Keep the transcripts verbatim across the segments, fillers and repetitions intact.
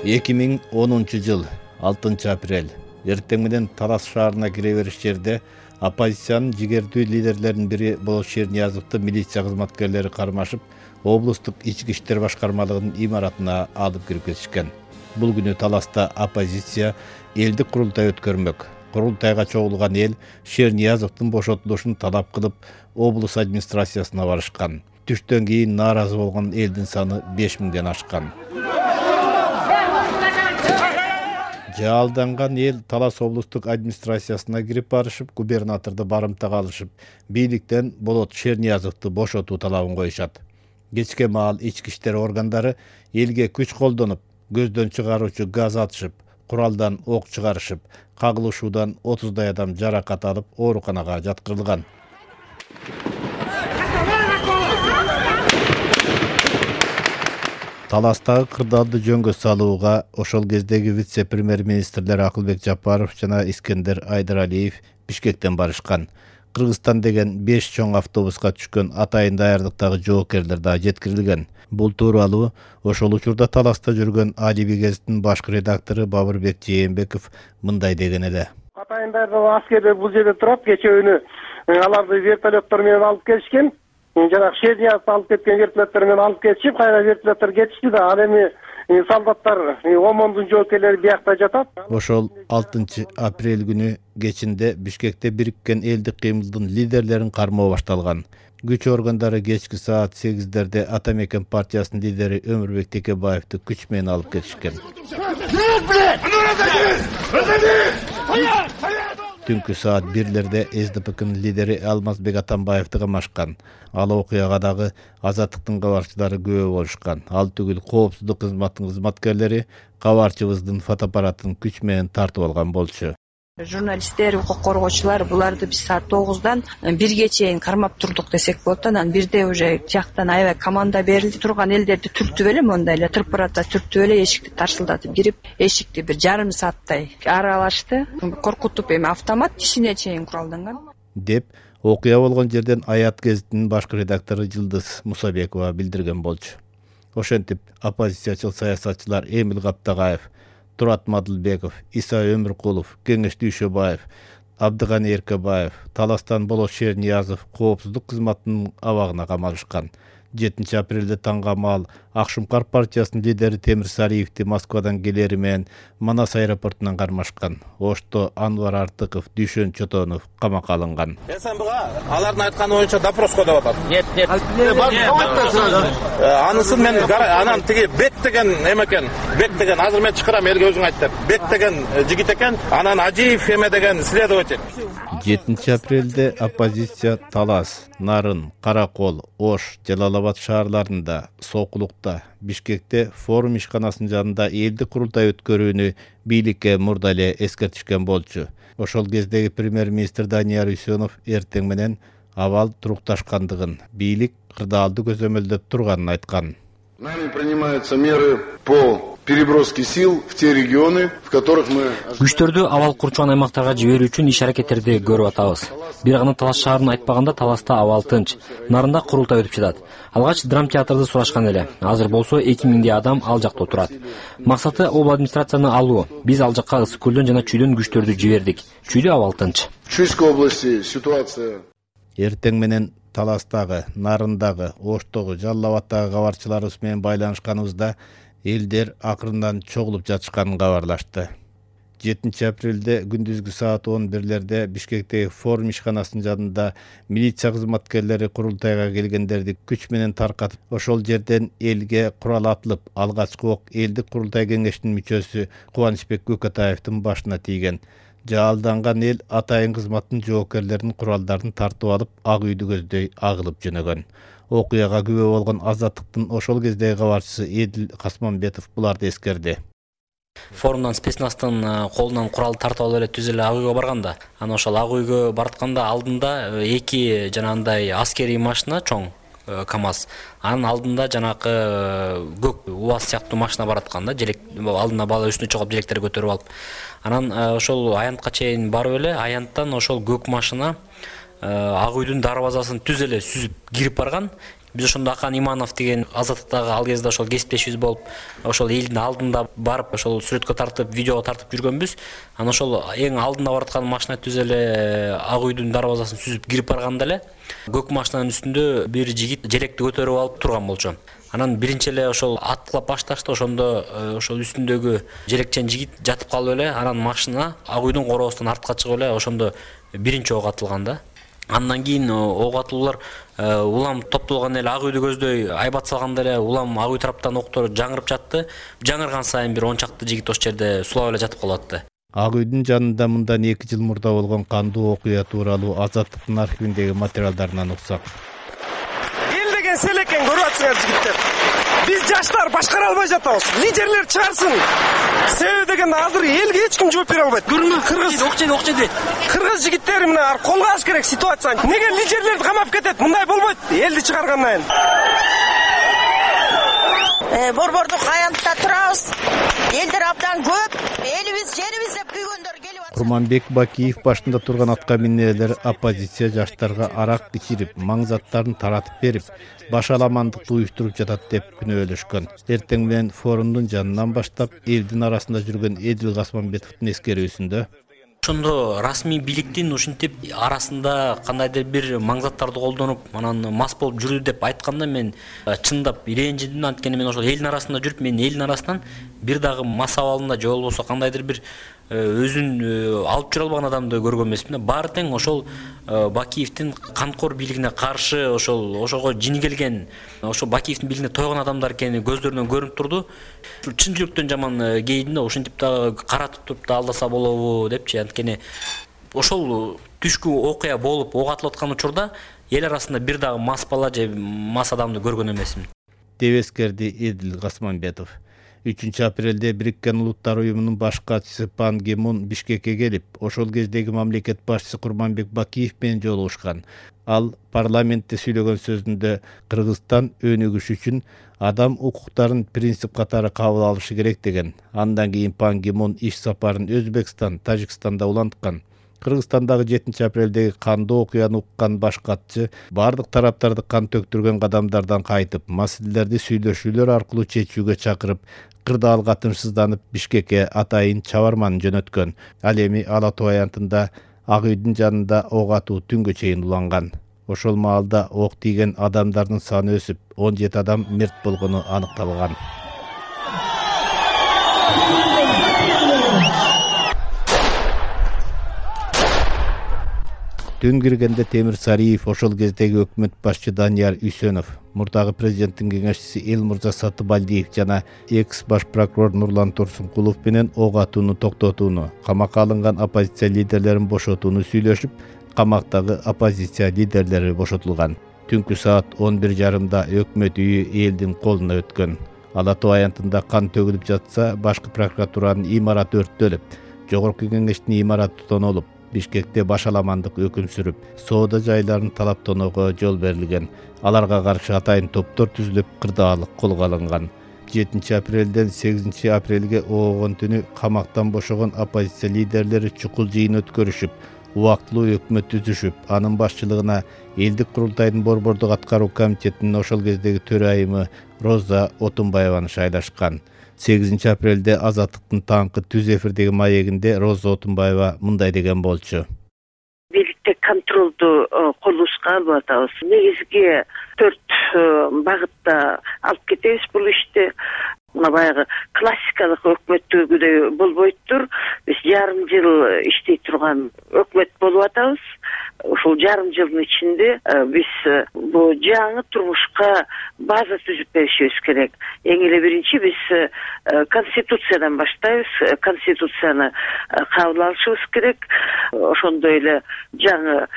эки миң онунчу жыл алтынчы апрель эртең менен Талас шаарына кире бериш жерде оппозициянын жигердүү лидерлеринин бири болот Шерниязовду милиция кызматкерлери кармашып, облустук ички иштер башкармалыгынын имаратына алып кирип кетишкен. Бул күнү Таласта оппозиция элдик курултай өткөрмөк. Курултайга чогулган эл Шерниязовдун бошотулушун талап кылып, облус администрациясына барышкан. Түштөн кийин нааразы болгон элдин саны беш миңден ашкан. Жаалданган эл Талас облустук администрациясына кирип барышып, губернаторду барымтага алышып, бийликтен Болот Шерниязовду бошотуу талабын коюшат. Кечке маал ички иштер органдары элге күч колдонуп, көздөн чыгаруучу газ атышып, куралдан ок чыгарышып, кагылышуудан отуздай адам жаракат алып, ооруканага жаткырылган. Таластагы кырдаалды жөнгө салууга ошол кездеги вице-премьер-министрлер Акылбек Жапаров жана Искендер Айдаралиев Бишкектен барышкан. Кыргызстан деген беш чоң автобуска түшкөн атайын даярдыктагы жоокерлер да жеткирилген. Бул тууралуу ошол учурда Таласта жүргөн Алиби гезиттин башкы редактору Бабырбек Жээнбеков мындай деген эле. Атайын даярдыктагы аскерлер бул жерде турат, кечээ аларды вертолеттор менен алып келишкен. Жанагы Шерниязовду алып кеткен вертолеттор менен алып кетишип, кайра вертолеттор кетишти да, ал эми солдаттар, ОМОНдун жоокерлери биякта жатат. Ошол алтынчы апрель күнү кечинде Бишкекте бириккен элдик кыймылдын лидерлерин кармоо башталган. Күч органдары кечки саат сегиздерде Атамекен партиясынын лидери Өмүрбек Текебаевди күч менен алып кетишкен. Түнкү саат бирлерде эс дэ пэ-нын лидери Алмазбек Атамбаевди камашкан. Ал окуяга дагы Азаттыктын кабарчылары күбө болушкан. Ал түгүл коопсуздук кызматынын кызматкерлери кабарчыбыздын фотоаппаратын күч менен тартып алган болчу. Журналисттер, укук коргоочулар буларды биз саат тогуздан бирге чейин кармап турдук десек болот. Анан бирде уже жактан аябай команда берилди. Турган элдерди түртүп эле, мондай эле тырпырата түртүп эле эшикти тарсылдатып кирип, эшикти бир жарым сааттай аралашты. Коркутуп эми автомат тишине чейин куралданган деп окуя болгон жерден Аят гезитинин башкы редактору Жылдыз Мусабекова билдирген болчу. Ошентип оппозициячыл саясатчылар Эмил Каптагаев, Турат Мадылбеков, Иса Өмүркулов, Кеңеш Дүйшөбаев, Абдыганы Эркебаев, Таластан Болот Шерниязов коопсуздук кызматынын абагына камалышкан. жетинчи апрелде таңга маал Акшумкар партиясынын лидери Темир Салиевди Москвадан келери менен Манас аэропортунан кармашкан. Ошто Анвар Артыков, Дүйшөн Чотонов камакка алынган. СМБга алардын айтканы боюнча допроско деп атат. Нет, нет. Анысын мен анан тиги Бек деген эме экен. Бек деген азыр мен чакырам, элге өзүң айт деп. Бек деген жигит экен, анан Ажиев эме деген следователь. жетинчи апрелде оппозиция Талас, Нарын, Каракол, Ош, Жалалабад шаарларында, Сокулукта, Бишкекте форум ишканасынын жанында элдик курултай өткөрүүнү бийликке мурда эле эскертишкен болчу. Ошол кездеги премьер-министр Данияр Үсөнов эртең менен абал турукташкандыгын, бийлик кырдаалды көзөмөлдөп турганын айткан. Нами принимаются меры по переброске сил в те регионы, в которых мы... Күчтөрдү абал курчуган аймактарга жиберүү үчүн иш-аракеттерди көрүп атабыз. Бир гана Талас шаарын айтпаганда Таласта абал тынч, Нарында курултай өтүп жатат. Алгач драм театрды сурашкан эле. Азыр болсо эки миңдей адам ал жакта отурат. Максаты об администрацияны алуу. Биз ал жакка ысык көлдөн жана чүйдөн күчтөрдү жибердик. Чүйдө абал тынч. В Чуйской области ситуация... Эртең менен Таластагы, Нарындагы, Оштогу, Жалал-Абадтагы кабарчыларыбыз менен байланышканыбызда элдер акырындан чогулуп жатышканын кабарлашты. жетинчи апрелде күндүзгү саат он бирлерде Бишкектеги форум ишканасынын жанында милиция кызматкерлери курултайга келгендерди күч менен таркатып, ошол жерден элге курал атылып, алгачкы ок элдик курултай кеңешинин мүчөсү Кубанычбек Көкөтаевдин башына тийген. Жаалданган эл атайын кызматтын жоокерлеринин куралдарын тартып алып, Ак үйдү көздөй агылып жөнөгөн. Окуяга күбө болгон Азаттыктын ошол кездеги кабарчысы Эдил Касманбетов буларды эскерди. Форумдан спецнастын колунан курал тартып алып эле түз эле Ак үйгө барганда, анан ошол Ак үйгө баратканда алдында эки жанагындай аскерий машина чоң КамАЗ. Анын алдында жанакы көк УАЗ сыяктуу машина баратканда, желек алдына бала үстүнө чогуп желектер көтөрүп алып. Анан ошол аянтка чейин барып эле, аянттан ошол көк машина Ак үйдүн дарбазасын түз эле сүзүп кирип барган. Биз ошондо Акан Иманов деген Азаттыктагы ал кезде ошол кесиптешибиз болуп, ошол элдин алдында барып, ошол сүрөткө тартып, видеого тартып жүргөнбүз. Анан ошол эң алдында бараткан машина түз эле Ак үйдүн дарбазасын сүзүп кирип барганда эле көк машинанын үстүндө бир жигит желекти көтөрүп алып турган болчу. Анан биринчи эле ошол аткылап башташты, ошондо ошол үстүндөгү желекчен жигит жатып калып эле, анан машина Ак үйдүн короосунан артка чыгып эле ошондо биринчи ок атылган да. Андан кийин ок атуулар улам топтолгон эле Ак үйдү көздөй айбат салганда эле улам Ак үй тараптан октор жаңырып жатты. Жаңырган сайын бир он чакты жигит ошол жерде сулап эле жатып калатты. Ак үйдүн жанында мындан эки жыл мурда болгон кандуу окуя тууралуу Азаттыктын архивиндеги материалдарынан уксак. Эл деген селеккен көрүп атсыңар жигиттер. Биз жаштар башкара албай жатабыз. Лидерлер чыгарсын. Себеби дегенде азыр элге эч ким жооп бере албайт. Көрүнгөн кыргыз окчеди окчеди. Кыргыз жигиттери мына колго алыш керек ситуацияны. Неге лидерлерди камап кетет? Мындай болбойт. Элди чыгаргандан кийин. Э, борбордук аянтта турабыз. Элдер абдан көп. Элибиз, жерибиз деп күйгөндөр келип атат. Курманбек Бакиев башында турган атка минелер оппозиция жаштарга арак ичирип, маң заттарын таратып берип, башаламандыкты уюштуруп жатат деп күнөөлөшкөн. Эртең менен форумдун жанынан баштап элдин арасында жүргөн Эдил Гасманбетовдун эскерүүсүндө ошондо расмий бийликтин ушинтип арасында кандайдыр бир маңзаттарды колдонуп, анан мас болуп жүрдү деп айтканда мен чындап ренжидим. Анткени мен ошол элдин арасында жүрүп, мен элдин арасынан бир дагы мас абалында же болбосо кандайдыр бир өзүн алып жүрө албаган адамды көргөн эмесмин. Баары тең ошол Бакиевдин канкор бийлигине каршы ошол ошого жини келген, ошол Бакиевдин бийлигине тойгон адамдар экени көздөрүнөн көрүнүп турду. Чын жүрөктөн жаман кейдим да, ушинтип дагы каратып туруп да алдаса болобу депчи. Анткени ошол түшкү окуя болуп ок атылып аткан учурда эл арасында бир дагы мас бала же мас адамды көргөн эмесмин, деп эскерди Эдил Гасманбетов. үчүнчү апрелде Бириккен Улуттар уюмунун баш катчысы Пан Ги Мун Бишкекке келип, ошол кездеги мамлекет башчысы Курманбек Бакиев менен жолугушкан. Ал парламентте сүйлөгөн сөзүндө Кыргызстан өнүгүш үчүн адам укуктарын принцип катары кабыл алышы керек деген. Андан кийин Пан Ги Мун иш сапарын Өзбекстан, Тажикстанда уланткан. Кыргызстандагы жетинчи апрелдеги кандуу окуяны уккан баш катчы бардык тараптарды кан төктүргөн кадамдардан кайтып, маселелерди сүйлөшүүлөр аркылуу чечүүгө чакырып, кырдаалга тынчсызданып Бишкекке атайын чабарманы жөнөткөн. Ал эми Ала Тоо аянтында Ак үйдүн жанында ок атуу түнгө чейин уланган. Ошол маалда ок тийген адамдардын саны өсүп, он жети адам мерт болгону аныкталган. Түн киргенде Темир Сариев ошол кездеги өкмөт башчы Данияр Үсөнов, мурдагы президенттин кеңешчиси Элмурза Сатыбалдиев жана экс баш прокурор Нурлан Турсункулов менен ок атууну токтотууну, камакка алынган оппозиция лидерлерин бошотууну сүйлөшүп, камактагы оппозиция лидерлери бошотулган. Түнкү саат он бир жарымда өкмөт үйү элдин колуна өткөн. Ала Тоо аянтында кан төгүлүп жатса, башкы прокуратуранын имараты өрттөлүп, жогорку кеңештин имараты тонолуп, Бишкекте башаламандык өкүм сүрүп, соода жайларын талап тоноого жол берилген. Аларга каршы атайын топтор түзүлүп, кырдаалык колго алынган. жетинчи апрелден сегизинчи апрелге оогон түнү камактан бошогон оппозиция лидерлери чукул жыйын өткөрүшүп, убактылуу өкмөт түзүшүп, анын башчылыгына элдик курултайдын борбордук аткаруу комитетинин ошол кездеги төрайымы Роза Отунбаеваны шайлашкан. сегизинчи апрелде Азаттыктын таңкы түз эфирдеги маегинде Роза Отунбаева мындай деген болчу. Бийликте контролду колубузга алып атабыз. Негизги төрт багытта алып кетебиз бул ишти. Мына баягы классикалык өкмөттөгүдөй болбойтур. Биз жарым жыл иштей турган өкмөт болуп атабыз. Ушул жарым жылдын ичинде биз бул жаңы турмушка база түзүп беришибиз керек. Эң эле биринчи биз конституциядан баштайбыз. Конституцияны кабыл алышыбыз керек. Ошондой эле жаңы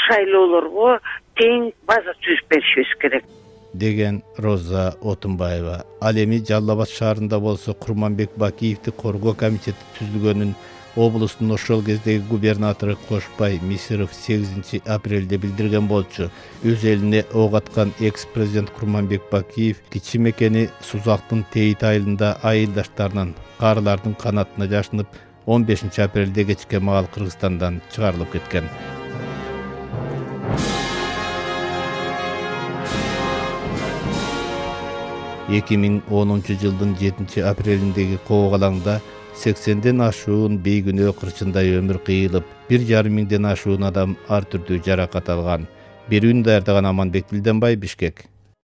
шайлоолорго тең база түзүп беришибиз керек, деген Роза Отунбаева. Ал эми Жалал Абад шаарында болсо Курманбек Бакиевди коргоо комитети түзүлгөнүн облустун ошол кездеги губернатору Кошбай Мисиров сегизинчи апрелде билдирген болчу. Өз элине ок аткан экс-президент Курманбек Бакиев кичи мекени Сузактын Тейит айылында айылдаштарынын, каарылардын канатына жашынып, он бешинчи апрелде кечке маал Кыргызстандан чыгарылып кеткен. эки миң онунчу жылдын жетинчи апрелиндеги кобок-алаңда сексенден ашуун бейгүнөө кырчындай өмүр кыйылып, бир жарым миңден ашуун адам ар түрдүү жаракат алган. Берүүнү даярдаган Аманбек Билденбай, Бишкек.